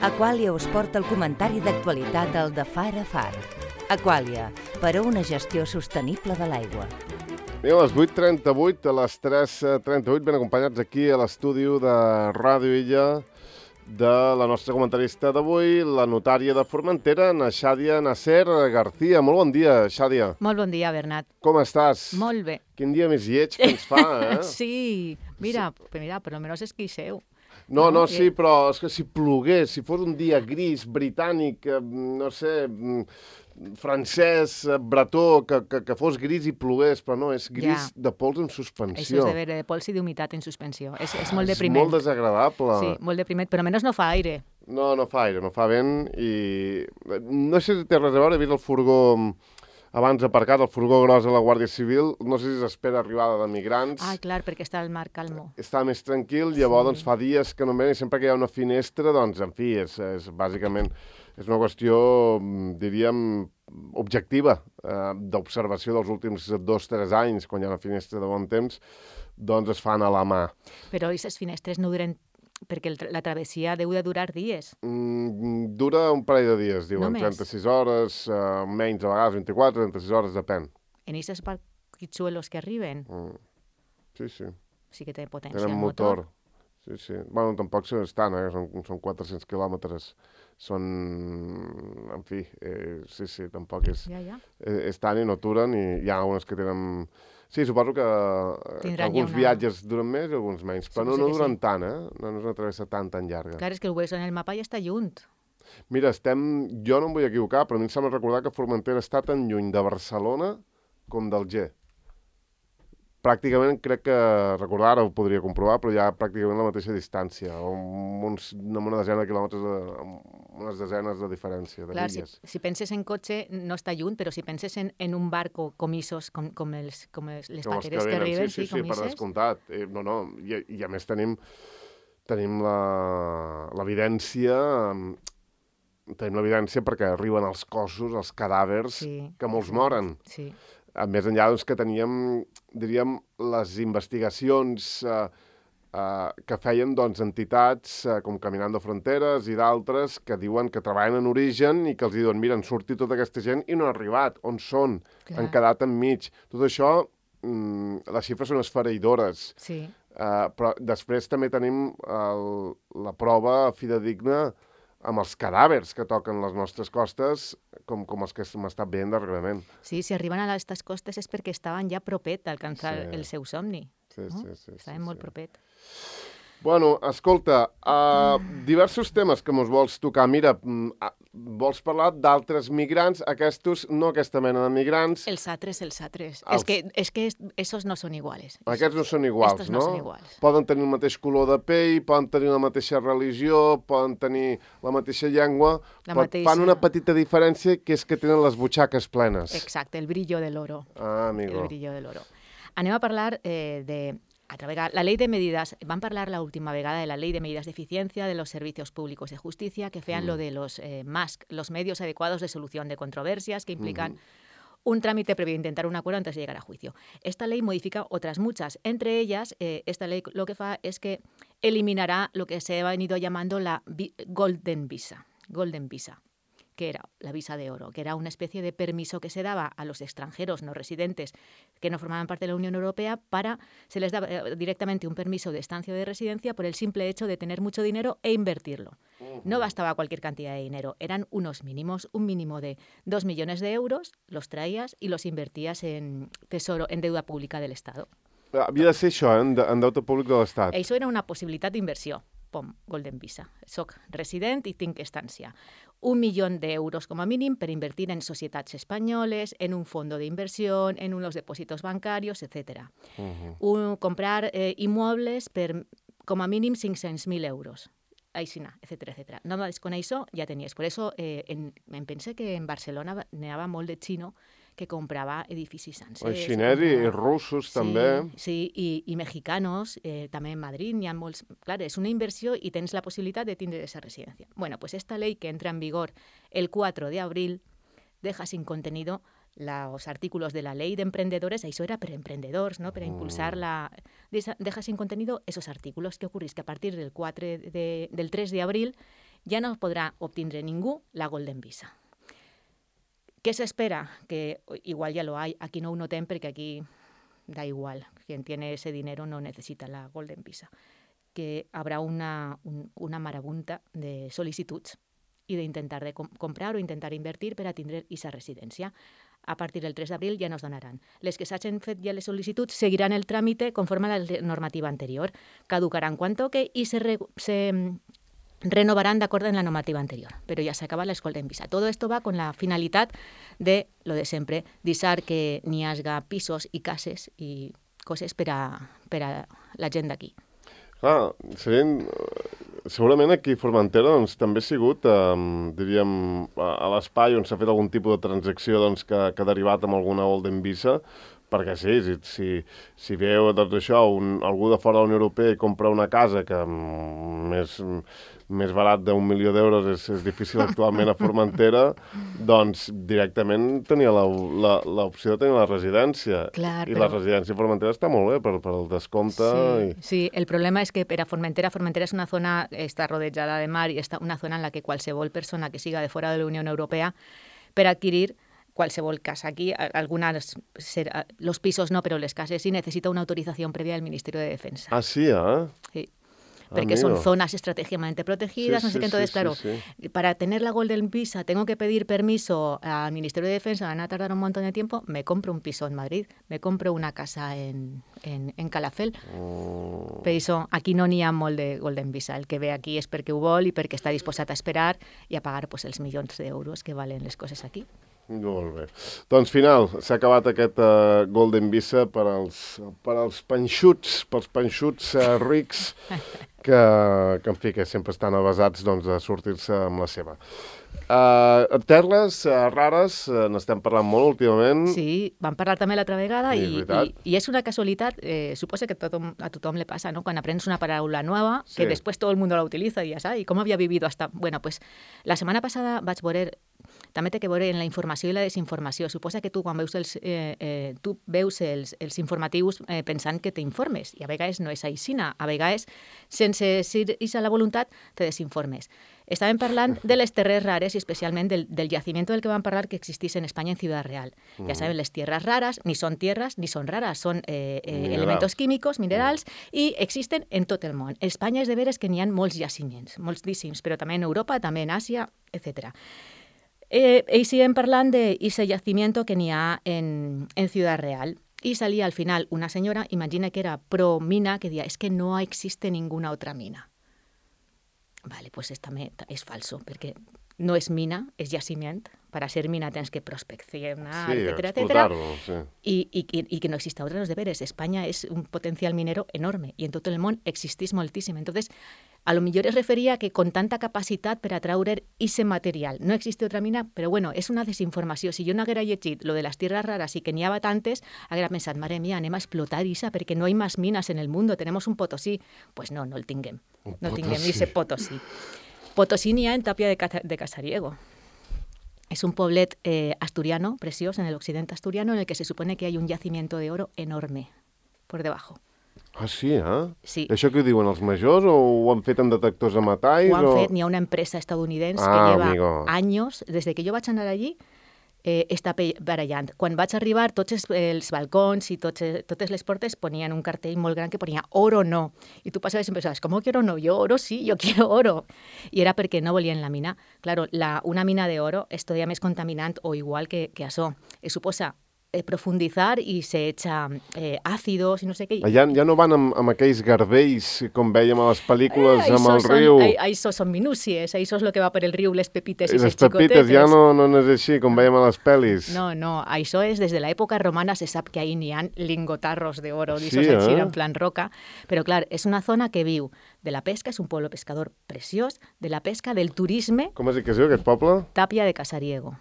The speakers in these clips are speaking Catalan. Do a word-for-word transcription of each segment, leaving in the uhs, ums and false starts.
Aqualia us porta el comentari d'actualitat al de Far a Far. Aqualia, per a una gestió sostenible de l'aigua. Bé, a les vuit trenta-vuit, a les tres trenta-vuit, ben acompanyats aquí a l'estudi de Ràdio Illa de la nostra comentarista d'avui, la notària de Formentera, na Xàdia Nasser García. Molt bon dia, Xàdia. Molt bon dia, Bernat. Com estàs? Molt bé. Quin dia més lleig que ens fa, eh? Sí, mira, sí. mira, per almenys és qui seu. No, no, no, sí, però és que si plogués, si fos un dia gris, britànic, no sé, francès, bretó, que, que, que fos gris i plogués, però no, és gris ja. de pols en suspensió. Això és de veure, de pols i d'humitat en suspensió. És, és molt depriment. És molt desagradable. Sí, molt depriment, però almenys no fa aire. No, no fa aire, no fa vent i... No sé si té res a veure, he vist el furgó abans aparcat, el furgó gros de la Guàrdia Civil, no sé si s'espera arribada de migrants. Ah, clar, perquè està el mar calmo. Està més tranquil, llavors sí. doncs, fa dies que no ven i sempre que hi ha una finestra, doncs, en fi, és, és bàsicament és una qüestió, diríem, objectiva, eh, d'observació dels últims dos o tres anys, quan hi ha una finestra de bon temps, doncs es fan a la mà. Però aquestes finestres no duren... Perquè la travessia deu de durar dies. Mm, dura un parell de dies, diuen. Només? trenta-sis hores, uh, menys a vegades, vint-i-quatre, trenta-sis hores, depèn. En aquests barquitxuelos que arriben? Mm. Sí, sí. Sí que té potència Tenen el motor. motor. Sí, sí. Bueno, tampoc estan, eh? Són, són quatre-cents quilòmetres. Són... En fi, eh, sí, sí, tampoc és... Ja, ja. Eh, estan i no aturen, i hi ha algunes que tenen... Sí, suposo que, que alguns una... viatges duren més i alguns menys, però Suposo no, no duren sí. tant, eh? No, no és una travessa tan, tan llarga. Clar, és que ho veus en el mapa i està lluny. Mira, estem... Jo no em vull equivocar, però a mi em sembla recordar que Formentera està tan lluny de Barcelona com d'Alger. Pràcticament crec que, recordar, ara ho podria comprovar, però hi ha pràcticament la mateixa distància, amb, uns, amb una desena de quilòmetres, de, amb unes desenes de diferència, de Clar, milles. si, si penses en cotxe no està lluny, però si penses en, en un barco com isos, com, com, els, com els, les com paqueres que, que arriben, sí, sí, sí, sí, com per ises. descomptat. Eh, no, no, i, i a més tenim, tenim l'evidència... Tenim l'evidència perquè arriben els cossos, els cadàvers, sí, que molts moren. Sí. Més enllà doncs, que teníem, diríem, les investigacions eh, eh, que feien doncs, entitats eh, com Caminando Fronteres i d'altres que diuen que treballen en origen i que els diuen, mira, han sortit tota aquesta gent i no ha arribat. On són? Clar. Han quedat enmig. Tot això, mm, les xifres són esfereïdores. Sí. Eh, però després també tenim el, la prova fidedigna amb els cadàvers que toquen les nostres costes, com, com els que hem estat veient darrerament. Sí, si arriben a aquestes costes és perquè estaven ja propet d'alcançar sí. el seu somni. Sí, no? sí, sí. Estaven sí, molt sí. propet. Bueno, escolta, uh, diversos temes que mos vols tocar. Mira, uh, vols parlar d'altres migrants, aquests, no aquesta mena de migrants. Els altres, els altres. Els... És que, és que esos no són iguals. Aquests no són iguals, Estos no? no són iguals. Poden tenir el mateix color de pell, poden tenir la mateixa religió, poden tenir la mateixa llengua, la però mateixa... fan una petita diferència, que és que tenen les butxaques plenes. Exacte, el brillo de l'oro. Ah, amigo. El brillo de l'oro. Anem a parlar eh, de... A través de la ley de medidas, van a hablar la última vegada de la ley de medidas de eficiencia de los servicios públicos de justicia que fean mm. lo de los eh, M A S C, los medios adecuados de solución de controversias que implican mm. un trámite previo a intentar un acuerdo antes de llegar a juicio. Esta ley modifica otras muchas. Entre ellas, eh, esta ley lo que fa es que eliminará lo que se ha venido llamando la Golden Visa. Golden Visa. Que era la visa de oro, que era una especie de permiso que se daba a los extranjeros no residentes que no formaban parte de la Unión Europea para, se les daba directamente un permiso de estancia o de residencia por el simple hecho de tener mucho dinero e invertirlo. Uh-huh. No bastaba cualquier cantidad de dinero, eran unos mínimos, un mínimo de dos millones de euros, los traías y los invertías en tesoro, en deuda pública del Estado. Havia de ser això, eh? en, en deute públic de l'Estat. Això era una possibilitat d'inversió. Pom, Golden Visa. Soc resident i tinc estància. Un milió d'euros com a mínim per invertir en societats espanyoles, en un fondo de inversión, en unos depósitos bancarios, etcétera. Uh-huh. Un, comprar eh, inmuebles per com a mínim cinc-cents mil euros. Aixina, etcètera, etcètera. Només con això ja tenies. Per això eh, en, em pense que en Barcelona n'hi havia molt de xino que comprava edificis sencers. Els xinesos i russos, sí, també. Sí, i, i mexicanos, eh, també en Madrid, n'hi ha molts... Clar, és una inversió i tens la possibilitat de tindre aquesta residència. Bueno, pues esta ley que entra en vigor el cuatro de abril deja sin contenido los artículos de la ley de emprendedores, eso era para emprendedores, ¿no? Para impulsar la... Deja sin contenido esos artículos. ¿Qué ocurre? Es que a partir del, cuatro de, del tres de abril ja no podrà obtindre ningú la Golden Visa. ¿Qué se espera? Que igual ya lo hay, aquí no ho notem perquè aquí da igual, quien tiene ese dinero no necesita la Golden Visa, que habrá una, un, una marabunta de sol·licituds i d'intentar de com comprar o intentar invertir per a tindre aquesta residència. A partir del tres d'abril ja no es donaran. Les que s'hagin fet ja les sol·licituds seguiran el tràmite conforme a la normativa anterior, caducaran quan toque i se, re, se renovaran d'acord amb la normativa anterior, però ja s'acaba la Golden Visa. Todo esto va con la finalitat de lo de sempre, deixar que n'hi hagi pisos i cases i coses per a, per a la gent d'aquí. Clar, serien... Segurament aquí a Formentera doncs, també ha sigut, eh, diríem, a, a l'espai on s'ha fet algun tipus de transacció doncs, que, que ha derivat amb alguna Golden Visa, perquè sí, si, si, si veu doncs, això, un, algú de fora de la Unió Europea i compra una casa que mm, més, més barat d'un milió d'euros és, és difícil actualment a Formentera, doncs directament tenia l'opció de tenir la residència. Clar, I però... la residència a Formentera està molt bé per, per el descompte. Sí, i... sí, el problema és que per a Formentera, Formentera és una zona, està rodejada de mar i és una zona en la que qualsevol persona que siga de fora de la Unió Europea per adquirir qualsevol casa aquí, algunas, los pisos no, pero las casas sí necesita una autorización previa del Ministerio de Defensa. Ah, sí, ¿eh? Sí. Porque Amigo. son zonas estratégicamente protegidas, Sí, no sé sí, qué. Entonces, sí, claro, sí, sí. Para tener la Golden Visa tengo que pedir permiso al Ministerio de Defensa, van a tardar un montón de tiempo, me compro un piso en Madrid, me compro una casa en, en, en Calafell. Oh. Per això, aquí no n'hi ha molt de Golden Visa. El que ve aquí és perquè ho vol i perquè està disposat a esperar i a pagar pues, els milions d'euros que valen les coses aquí. Molt bé. Doncs final, s'ha acabat aquest uh, Golden Visa per als, per als panxuts, pels panxuts uh, rics que, que, en fi, que sempre estan avasats doncs, a sortir-se amb la seva. Uh, terres uh, rares, uh, n'estem parlant molt últimament. Sí, vam parlar també l'altra vegada Sí, i, i, i és una casualitat, eh, suposa que tothom, a tothom le passa, ¿no? Quan aprens una paraula nova, Sí. que després tot el món la utilitza i ja saps, i com havia vivido hasta... Bueno, pues la setmana passada vaig veure, també té que veure en la informació i la desinformació. Suposa que tu quan veus els, eh, eh, tu veus els, els informatius eh, pensant que t'informes, i a vegades no és aixina, a vegades sense ser a la voluntat te desinformes. Estàvem parlant de les terres rares i especialment del, del yacimiento del que vam parlar que existís en Espanya en Ciudad Real. Mm. Ja saben, les tierras raras ni són tierras ni són raras, són eh, eh, elementos químicos, minerals, mm. i existen en tot el món. Espanya és de veres que n'hi ha molts jaciments, moltíssims, però també en Europa, també en Àsia, etcètera. Eh, y siguen parlant de ese yacimiento que n'hi ha en, en Ciudad Real. Y salía al final una señora, imagina que era pro mina, que decía, es que no existe ninguna otra mina. Vale, pues esta es falso, porque no és mina, és jaciment. Para ser mina tens que prospeccionar, sí, etcétera, etcétera. Sí. Y, y, y que no exista otros deberes. España es un potencial minero enorme y en tot el món existís moltíssim. Entonces, a lo millor es referia que con tanta capacitat per atraure ese material no existe otra mina, però bueno, és una desinformació. Si jo no haguera llegit lo de les tierras raras i que n'hi havia tantes, haguera pensat, mare mía, anem a explotar Isa perquè no hay más minas en el mundo, tenemos un Potosí. Pues no, no el tinguem. Un no Potosí. tinguem ese Potosí. Potosí n'hi ha en Tapia de, Ca- de Casariego. Es un poblet eh, asturiano, precioso, en el occidente asturiano, en el que se supone que hay un yacimiento de oro enorme por debajo. Ah, sí, eh? Sí. Això que ho diuen els majors o ho han fet amb detectors de metalls? Ho han o... fet, n'hi ha una empresa estadounidense Ah, que lleva amigo. años, desde que jo vaig anar allí, eh, està pe- barallant. Quan vaig arribar, tots els, els balcons i tots, totes les portes ponien un cartell molt gran que ponia oro no. I tu passaves i pensaves, ¿cómo que oro no? Yo oro sí, yo quiero oro. I era perquè no volien la mina. Claro, la, una mina de oro és todavía més contaminant o igual que, que això. Eh, suposa eh, profundizar i se echa eh, àcidos i no sé què. Ja, ja no van amb, amb aquells garbells, com vèiem a les pel·lícules, Eh, amb el son, riu. Ahí, ahí eso son minúcies, ahí eso es lo que va por el riu, les pepites I i les les pepites xicotetes. ja no, no és així, com veiem a les pel·lis. No, no, això és, des de l'època romana se sap que ahí n'hi ha lingotarros de oro, Sí, d'ixos així, eh? en plan roca, però clar, és una zona que viu de la pesca, és un pueblo pescador preciós, de la pesca, del turisme, Com es diu que es diu aquest poble? Tapia de Casariego.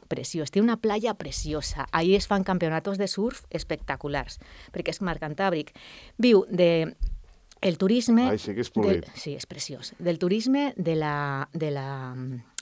Preciós, té una playa preciosa. Ahí es fan campeonatos de surf espectaculars, perquè és mar Cantàbric. Viu de el turisme... Ai, sí que és polit. Del, sí, és preciós. Del turisme, de la, de la,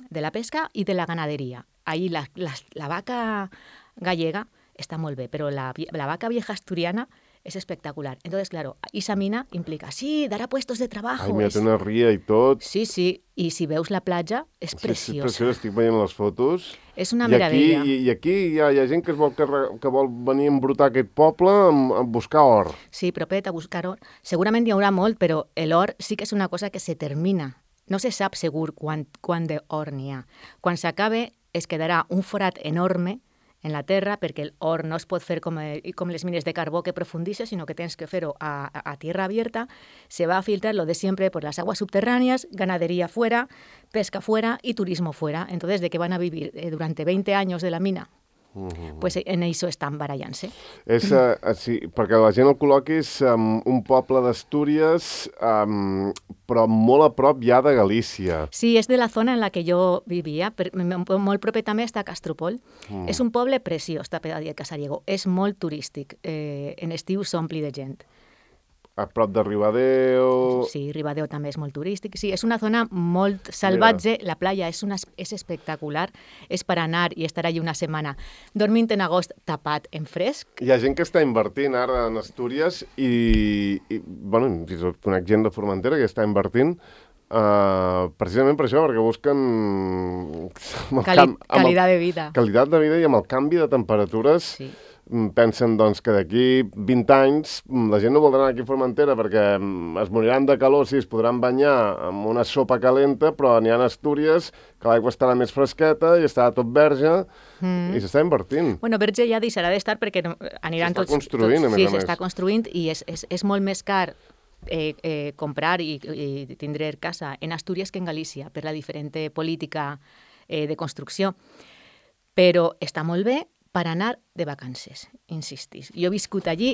de la pesca i de la ganaderia. Ahí la, la, la vaca gallega està molt bé, però la, la vaca vieja asturiana es espectacular. Entonces, claro, esa mina implica, sí, dará puestos de trabajo. Ai, mira, es... té una ria i tot. Sí, sí, i si veus la platja, és Sí, preciosa. sí, preciosa, estic veient les fotos. És una I meravella. aquí, I aquí hi ha, hi ha gent que, es vol, carre- que vol venir a embrutar aquest poble a, a buscar or. Sí, propet a buscar or. Segurament hi haurà molt, però l'or sí que és una cosa que se termina. No se sap segur quant, quant d'or n'hi ha. Quan s'acabe es quedarà un forat enorme en la terra, perquè l'or no es pot fer com, com les mines de carbó que profundixes, sinó que tens que fer-ho a, a, a tierra abierta. Se va a filtrar lo de siempre por las aguas subterráneas, ganadería fuera, pesca fuera y turismo fuera. Entonces, ¿de qué van a vivir eh, durante veinte años de la mina? Uh-huh. Pues en això estan barallant-se. És, uh, sí, perquè la gent el col·loqui és um, un poble d'Astúries, um, però molt a prop ja de Galícia. Sí, és de la zona en la que jo vivia, per, molt proper també està Castropol. Mm. És un poble preciós, Tapedàdia de Casariego. És molt turístic. Eh, en estiu s'ompli de gent. A prop de Ribadeo... Sí, Ribadeo també és molt turístic. Sí, és una zona molt salvatge. Mira. La playa és, una, és espectacular. És per anar i estar allà una setmana dormint en agost tapat en fresc. Hi ha gent que està invertint ara en Astúries i, i bueno, fins i tot conec gent de Formentera que està invertint uh, precisament per això, perquè busquen... Cali camp, qualitat de vida. Qualitat de vida i amb el canvi de temperatures... Sí. Pensen doncs, que d'aquí vint anys la gent no voldrà anar aquí a Formentera perquè es moriran de calor, sí, es podran banyar amb una sopa calenta, però n'hi ha Astúries que l'aigua estarà més fresqueta i estarà tot verge mm. i s'està invertint. Bueno, verge ja deixarà d'estar perquè aniran tots... S'està construint, tots, a més sí, a més. s'està construint i és, és, és molt més car eh, eh, comprar i, i tindre casa en Astúries que en Galícia per la diferent política eh, de construcció. Però està molt bé per anar de vacances, insistis. Jo he viscut allí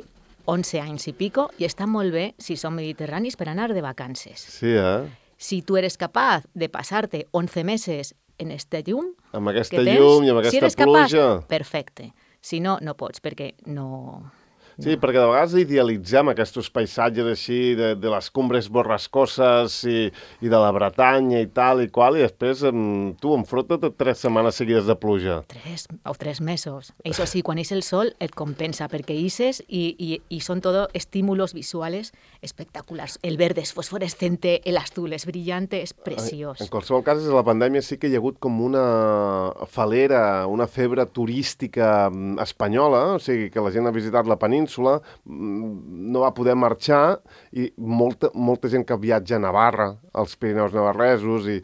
onze anys i pico i està molt bé, si són mediterranis, per anar de vacances. Sí, eh? Si tu eres capaç de passar-te onze mesos en este llum... Amb aquesta tens, llum i amb aquesta si eres pluja... Capaç, perfecte. Si no, no pots, perquè no... Sí, no. Perquè de vegades idealitzem aquests paisatges així de, de les cumbres borrascoses i, i de la Bretanya i tal i qual, i després em, tu enfronta't tres setmanes seguides de pluja. Tres o tres mesos. Això sí, quan és el sol et compensa, perquè ixes i, i, i són tot estímulos visuals espectaculars. El verde és fosforescente, el azul és brillante, és preciós. En qualsevol cas, des de la pandèmia sí que hi ha hagut com una falera, una febre turística espanyola, o sigui, que la gent ha visitat la península, no va poder marxar i molta, molta gent que viatja a Navarra, als Pirineus navarresos i,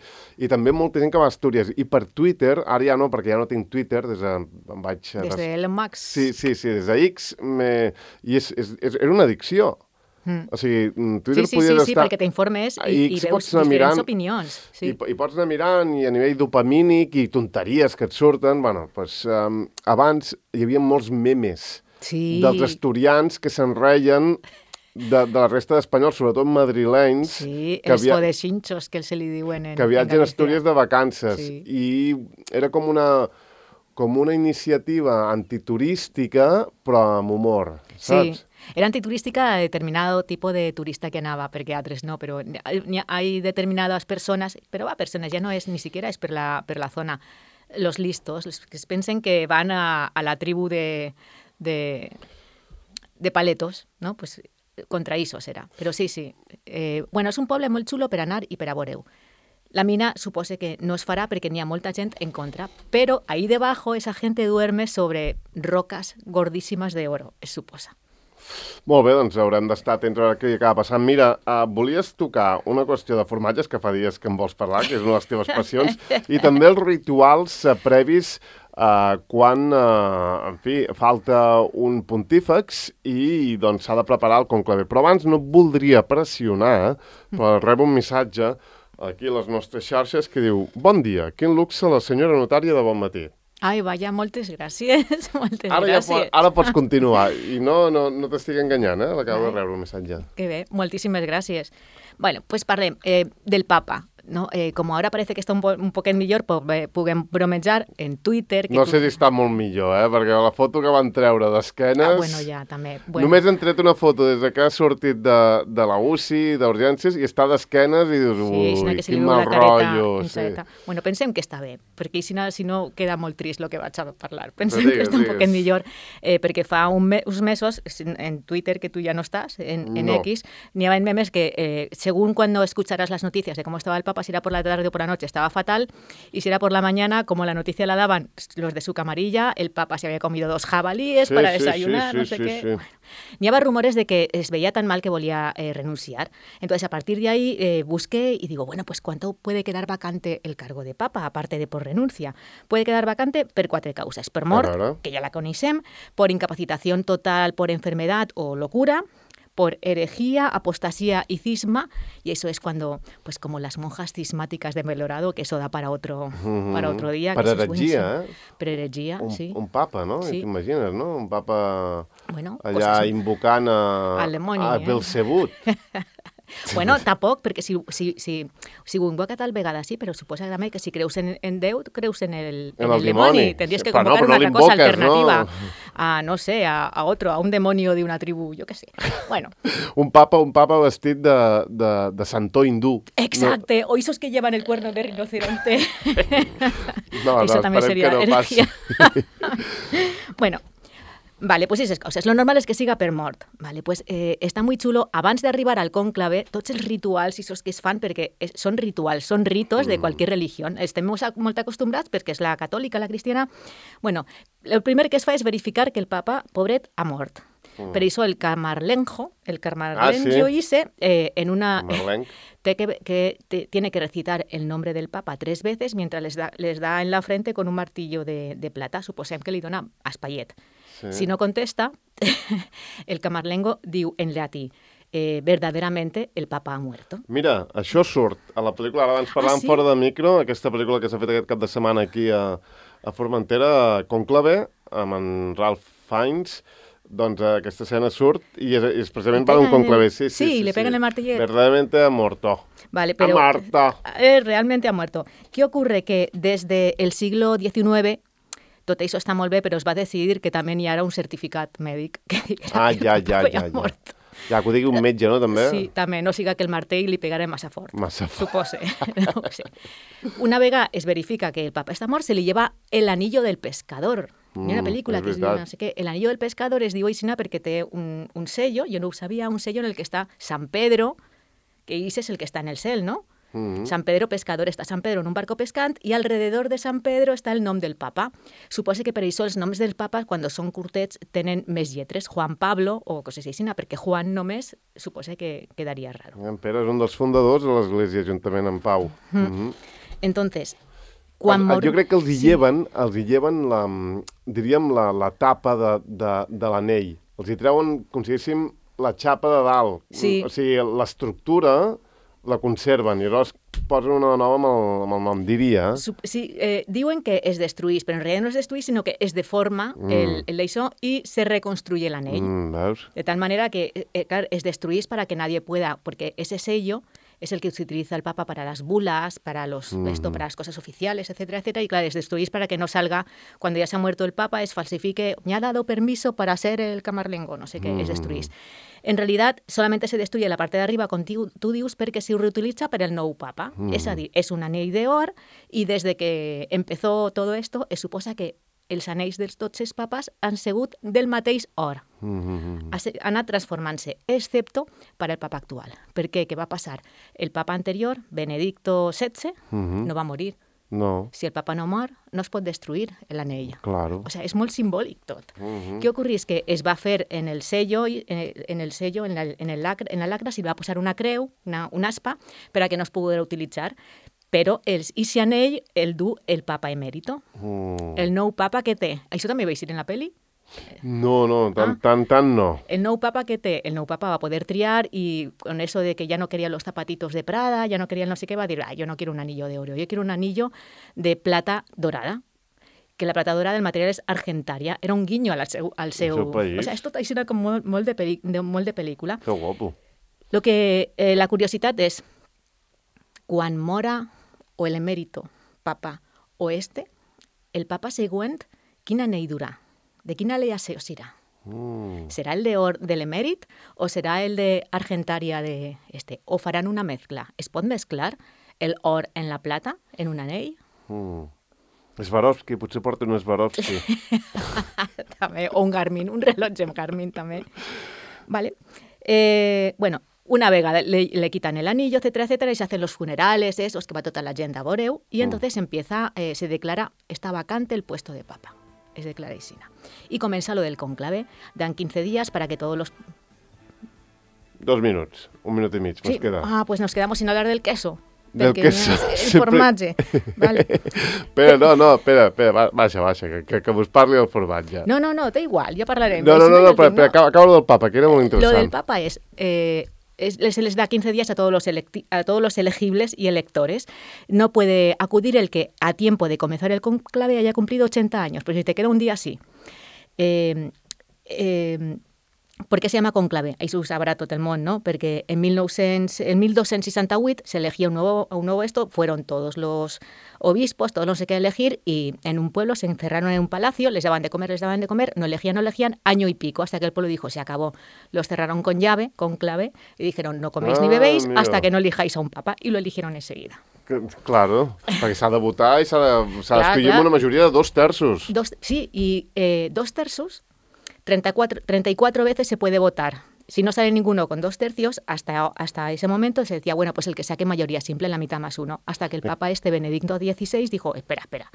i també molta gent que va a Astúries. I per Twitter, ara ja no, perquè ja no tinc Twitter, des de... Em vaig, des de Elon Musk. Sí, sí, sí, des de X, me, i és, és, és, era una addicció. Mm. O sigui, Twitter sí, sí, podies sí, sí, estar... perquè t'informes i, i veus diferents mirant, opinions. Sí. I, I pots anar mirant i a nivell dopamínic i tonteries que et surten. Bueno, doncs, um, abans hi havia molts memes sí. dels asturians que se'n reien de, de la resta d'espanyols, sobretot madrilenys. Sí, que els podexinxos que se li diuen en, que viatgen en a Astúries de vacances. Sí. I era com una, com una iniciativa antiturística, però amb humor, saps? Sí. Era antiturística a determinado tipo de turista que anava, perquè altres no, però hi ha determinades persones, però va, persones ja no és, ni siquiera és per la, per la zona, los listos, los que es pensen que van a, a la tribu de, de, de paletos, no? Pues contra isos era. Però sí, sí. Eh, bueno, és un poble molt xulo per anar i per a veure-ho. La mina supose que no es farà perquè n'hi ha molta gent en contra, però ahí debajo esa gente duerme sobre rocas gordíssimes de oro, es suposa. Molt bé, doncs haurem d'estar atents a veure què acaba passant. Mira, uh, volies tocar una qüestió de formatges, que fa dies que em vols parlar, que és una de les teves passions, i també els rituals uh, previs uh, quan, uh, en fi, falta un pontífex i doncs s'ha de preparar el conclave. Però abans no et voldria pressionar, però rebo un missatge aquí a les nostres xarxes que diu: bon dia, quin luxe la senyora notària de bon matí. Ai, vaja, moltes gràcies, moltes ara gràcies. Ja, ara pots continuar, i no, no, no t'estic enganyant, eh? L'acabo de rebre el missatge. Que bé, moltíssimes gràcies. Bueno, doncs pues parlem eh, del papa. no? Eh, com ara parece que està un, po un poquet millor, puguem bromejar en Twitter... Que no tu... sé si està molt millor, eh? Perquè la foto que van treure d'esquenes... Ah, bueno, ja, també. Bueno. Només han tret una foto des que ha sortit de, de la U C I, d'urgències, i està d'esquenes i dius, ui, sí, quin mal rotllo. Sí. Bueno, pensem que està bé, perquè si no, si no queda molt trist el que vaig a parlar. Pensem digues, que està un digues. poquet millor, eh, perquè fa un me uns mesos, en Twitter, que tu ja no estàs, en, en no. X, n'hi havia memes que, eh, según cuando escucharas las noticias de cómo estaba el Papa, si era por la tarde o por la noche, estaba fatal, y si era por la mañana, como la noticia la daban los de su camarilla, el Papa se había comido dos jabalíes sí, para sí, desayunar, sí, no sí, sé sí, qué. sí. Bueno, n'hi havia rumores de que es veía tan mal que volía eh, renunciar. Entonces, a partir de ahí, eh, busqué y digo, bueno, pues ¿cuánto puede quedar vacante el cargo de Papa, aparte de por renuncia? Puede quedar vacante per quatre causes. Per mort, que ja la coneixem, por incapacitación total por enfermedad o locura, por herejía, apostasía y cisma, y eso es cuando, pues como las monjas cismáticas de Melorado, que eso da para otro, mm-hmm. para otro día. Per heretgia, eh? Per heretgia, un, sí. Un papa, no? Sí. T'imagines, no? Un papa bueno, allà invocant a, al demoni, a eh? Belzebut. Bueno, tampoc, perquè si, si, si, si ho invoca tal vegada sí, però suposa també que si creus en, en Déu, creus en el, en en el, el dimoni. Tendries que convocar no, una altra cosa alternativa. No. A, no sé, a, a otro, a un demonio de una tribu, yo qué sé. Bueno. un papa un papa vestit de, de, de santor hindú. Exacte, no. O esos que llevan el cuerno de rinoceronte. No, Eso no, también sería que no herejía. Bueno, vale, pues esas coses. Lo normal és que siga per mort. Vale, pues eh, està molt xulo. Abans d'arribar al cònclave, tots els rituals i els que es fan, perquè es, són rituals, són ritos de qualsevol religió. Estem molt acostumbrats, perquè és la catòlica, la cristiana. Bueno, el primer que es fa és verificar que el papa, pobret, ha mort. Mm. Per això el camarlenjo, el camarlenjo ah, ¿sí? Ise, eh, en una... Eh, te que, que te, tiene que recitar el nombre del papa tres veces mientras les da, les da en la frente con un martillo de, de plata. Suposem que li dona espaiet. Sí. Si no contesta, el camarlengo diu en llatí, eh, verdaderamente el papa ha muerto. Mira, això surt a la pel·lícula, ara abans parlàvem ah, sí? fora de micro, aquesta pel·lícula que s'ha fet aquest cap de setmana aquí a, a Formentera, Cònclave, amb en Ralph Fiennes, doncs aquesta escena surt i és, és precisament per un conclave. Sí, sí, sí, sí, le pegan sí. el martillet. Verdaderamente ha muerto. Vale, pero, ha muerto. Eh, realmente ha muerto. ¿Qué ocurre? Que desde el siglo diecinueve, tot això està molt bé, però es va decidir que també hi ha un certificat mèdic que diguera ah, que ja, el ja, papa ja, ha mort. Ja, que ho digui un metge, no, també? Sí, també, no siga que el martell li pegarà massa fort. Massa fort. Supose. No ho sé. Una vegada es verifica que el papa està mort, se li lleva el anillo del pescador. Mm, hi ha una pel·lícula que es diu, no sé què, el anillo del pescador es diu així perquè té un, un sello, jo no ho sabia, un sello en el que està San Pedro, que ese es el que está en el cel, ¿no? Mm-hmm. San Pedro pescador, està Sant Pedro en un barco pescant i alrededor de San Pedro està el nom del papa. Suposa que per això els noms del papa, quan són curtets, tenen més lletres. Juan Pablo o coses així, perquè Juan només suposa que quedaria raro. En Pere és un dels fundadors de l'Església, juntament amb Pau. Mm. Mm-hmm. Entonces, quan el, mor... Jo crec que els hi sí. lleven, els hi lleven la, diríem, la, la tapa de, de, de l'anell. Els hi treuen, com si diguéssim, la xapa de dalt. Sí. O sigui, l'estructura la conserven i llavors posen una nova amb el, amb el nom, diria. Sí, eh, diuen que es destruís, però en realitat no es destruís, sinó que es deforma mm. el, el d'això i se reconstruye l'anell. Mm, veus? De tal manera que, eh, clar, es destruís para que nadie pueda, porque ese sello es el que se utiliza el Papa para las bulas, para los mm. esto, para las cosas oficiales, etcétera, etcétera, y claro, es destruís para que no salga, cuando ya se ha muerto el Papa, es falsifique, me ha dado permiso para ser el camarlengo, no sé qué, mm. es destruís. En realidad, solamente se destruye la parte de arriba con tu dius perquè se reutilitza per el nou papa. Mm. És a dir, és un anell d'or i des de que empezó todo esto, es suposa que els anells dels tots els papes han sigut del mateix or. Mm-hmm. Ha anat transformant-se, excepto per al papa actual. Per què? Què va passar? El papa anterior, Benedicto setze, mm-hmm. no va morir. No. Si el papa no mor, no es pot destruir l'anell. Claro. O sea, és molt simbòlic tot. Uh-huh. Què ocorrís? Que es va fer en el sello, en el sello, en la, en el lacre, en la lacra s'hi va posar una creu, una, una aspa, per a que no es pogués utilitzar. Però els, i si anell el du el papa emèrito. Uh. El nou papa que té. Això també veus en la pel·li? No, no, tan, ah. tan, tan no. El nou papa que té, el nou papa va poder triar y con eso de que ya no quería los zapatitos de Prada, ya no quería el no sé qué, va a decir, ah, yo no quiero un anillo de oro, yo quiero un anillo de plata dorada. Que la plata dorada del material és argentaria. Era un guinyo al seu... Al seu... seu país. O sea, és tot així com molt, molt, de, peli, de, molt de pel·lícula. Que guapo. Lo que, eh, la curiositat és quan mora o el emèrito papa o este, el papa següent, quin anell durà? De quina aleació serà? Mm. ¿Será el de, or, del emèrit o será el de Argentaria de este? ¿O faran una mezcla? ¿Es pot mesclar el or en la plata en un anell? Mm. Swarovski, potser porta un Swarovski. També, o un Garmin, un rellotge amb Garmin també. Vale. Eh, bueno, una vegada le, le quitan el anillo, etcétera, etcétera, y se hacen los funerales, esos que va toda la gent a Boreu, y entonces mm. empieza, eh, se declara, está vacante el puesto de papa. Es declara Isina. Y comienza lo del conclave. Dan quince días para que todos los... Dos minuts, un minut i mig, sí. Nos queda. Ah, pues nos quedamos sin hablar del queso. Del queso. El formatge. Vale. Espera, no, no, espera, espera, baixa, baixa, que, que, que vos parli del formatge. No, no, no, da igual, ja parlarem. No, no, no, no, espera, espera, acaba, acaba lo del papa, que era molt interessant. Lo del papa es... Eh, Es, se les da quince días a todos, los electi- a todos los elegibles y electores. No puede acudir el que a tiempo de comenzar el conclave haya cumplido ochenta años, pero si te queda un día, sí. Eh, eh, ¿Por qué se llama conclave? Ahí s'ho sabrà tot el món, ¿no? Porque en, mil nou-cents, en mil dos-cents seixanta-vuit se elegía un nuevo, un nuevo esto, fueron todos los obispos, todos no sé qué elegir, y en un pueblo se encerraron en un palacio, les daban de comer, les daban de comer, no elegían, no elegían, año y pico, hasta que el pueblo dijo, se acabó. Los cerraron con llave, con clave, y dijeron, no coméis ah, ni bebéis mira. hasta que no elijáis a un papa, y lo eligieron enseguida. Claro, perquè s'ha de votar i s'ha d'escollir amb una majoria de dos terços. Dos, sí, y eh, dos terços, treinta y cuatro, treinta y cuatro veces se puede votar. Si no sale ninguno con dos tercios, hasta, hasta ese momento se decía, bueno, pues el que saque mayoría simple, la mitad más uno, hasta que el Papa este, Benedicto dieciséis, dijo, espera, espera,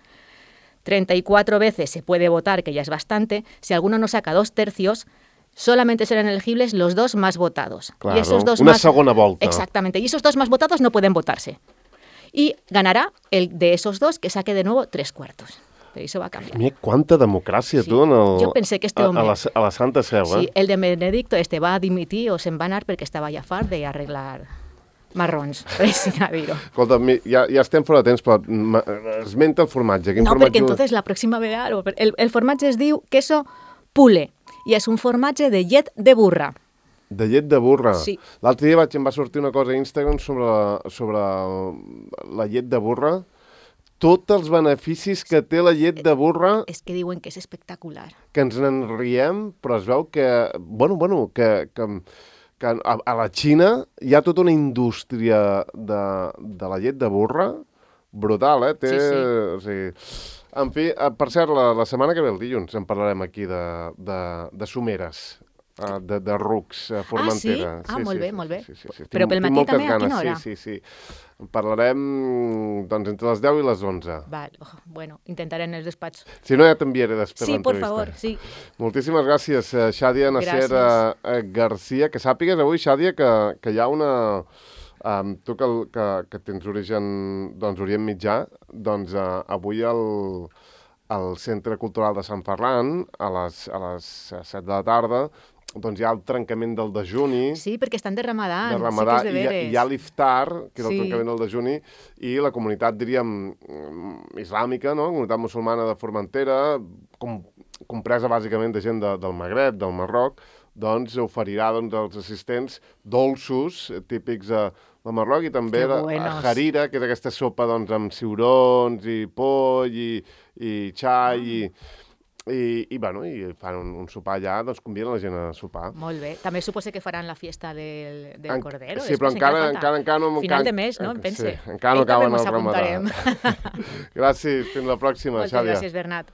treinta y cuatro veces se puede votar, que ya es bastante, si alguno no saca dos tercios, solamente serán elegibles los dos más votados. Claro, y esos dos una más, segona volta. Exactamente, y esos dos más votados no pueden votarse. Y ganará el de esos dos que saque de nuevo tres cuartos. Pero eso va a cambiar. Mira, cuánta democràcia, sí. tu, en el, Yo pensé que este hombre... a, a, la, a la Santa Seu, eh? Sí, el de Benedicto este va a dimitir o se'n va anar perquè estava ja fart d'arreglar marrons, per així dir-ho. Escolta, ja, ja estem fora de temps, però esmenta el formatge. Quin no, formatge... perquè entonces la pròxima vegada... El, el formatge es diu queso pule i és un formatge de llet de burra. De llet de burra. Sí. L'altre dia vaig, em va sortir una cosa a Instagram sobre, sobre la llet de burra. Tots els beneficis que té la llet de burra... És que diuen que és espectacular. Que ens en riem, però es veu que... Bueno, bueno, que, que, que a, a la Xina hi ha tota una indústria de, de la llet de burra brutal, eh? Té, sí, sí. O sigui, en fi, per cert, la, la setmana que ve, el dilluns, en parlarem aquí de, de, de someres. Uh, de, de rucs, uh, Formentera. Ah, sí? Ah, sí, molt sí, bé, sí, molt bé. Sí, sí, sí. Però pel matí també, a quina hora? Sí, sí, sí. En parlarem doncs, entre les deu i les onze. Val, oh, bueno, intentaré en els despatx. Si no, ja t'enviaré després sí, l'entrevista. por favor, sí. Moltíssimes gràcies, Xàdia Nasser uh, Garcia. Que sàpigues avui, Xàdia, que, que hi ha una... Um, tu que, que, que tens origen doncs, Orient Mitjà, doncs uh, avui el... al Centre Cultural de Sant Ferran, a les, a les set de la tarda, doncs hi ha el trencament del dejuni. Sí, perquè estan de Ramadà. De Ramadà, sí que és de i, hi, hi ha l'iftar, que és sí. el trencament del dejuni, i la comunitat, diríem, islàmica, no? La comunitat musulmana de Formentera, com, compresa bàsicament de gent de, del Magreb, del Marroc, doncs oferirà doncs, als assistents dolços típics de, del Marroc i també la harira, que és aquesta sopa doncs, amb ciurons i poll i, i xai i... I, i, bueno, i fan un, un sopar allà, doncs conviden la gent a sopar. Molt bé. També suposa que faran la fiesta del, del en, Cordero. Sí, però encara, encara, encara no... Final encara, de mes, no? Em pense. Sí, encara no acaben el Ramadà. Gràcies, fins la pròxima, Moltes Xàbia. gràcies, Bernat.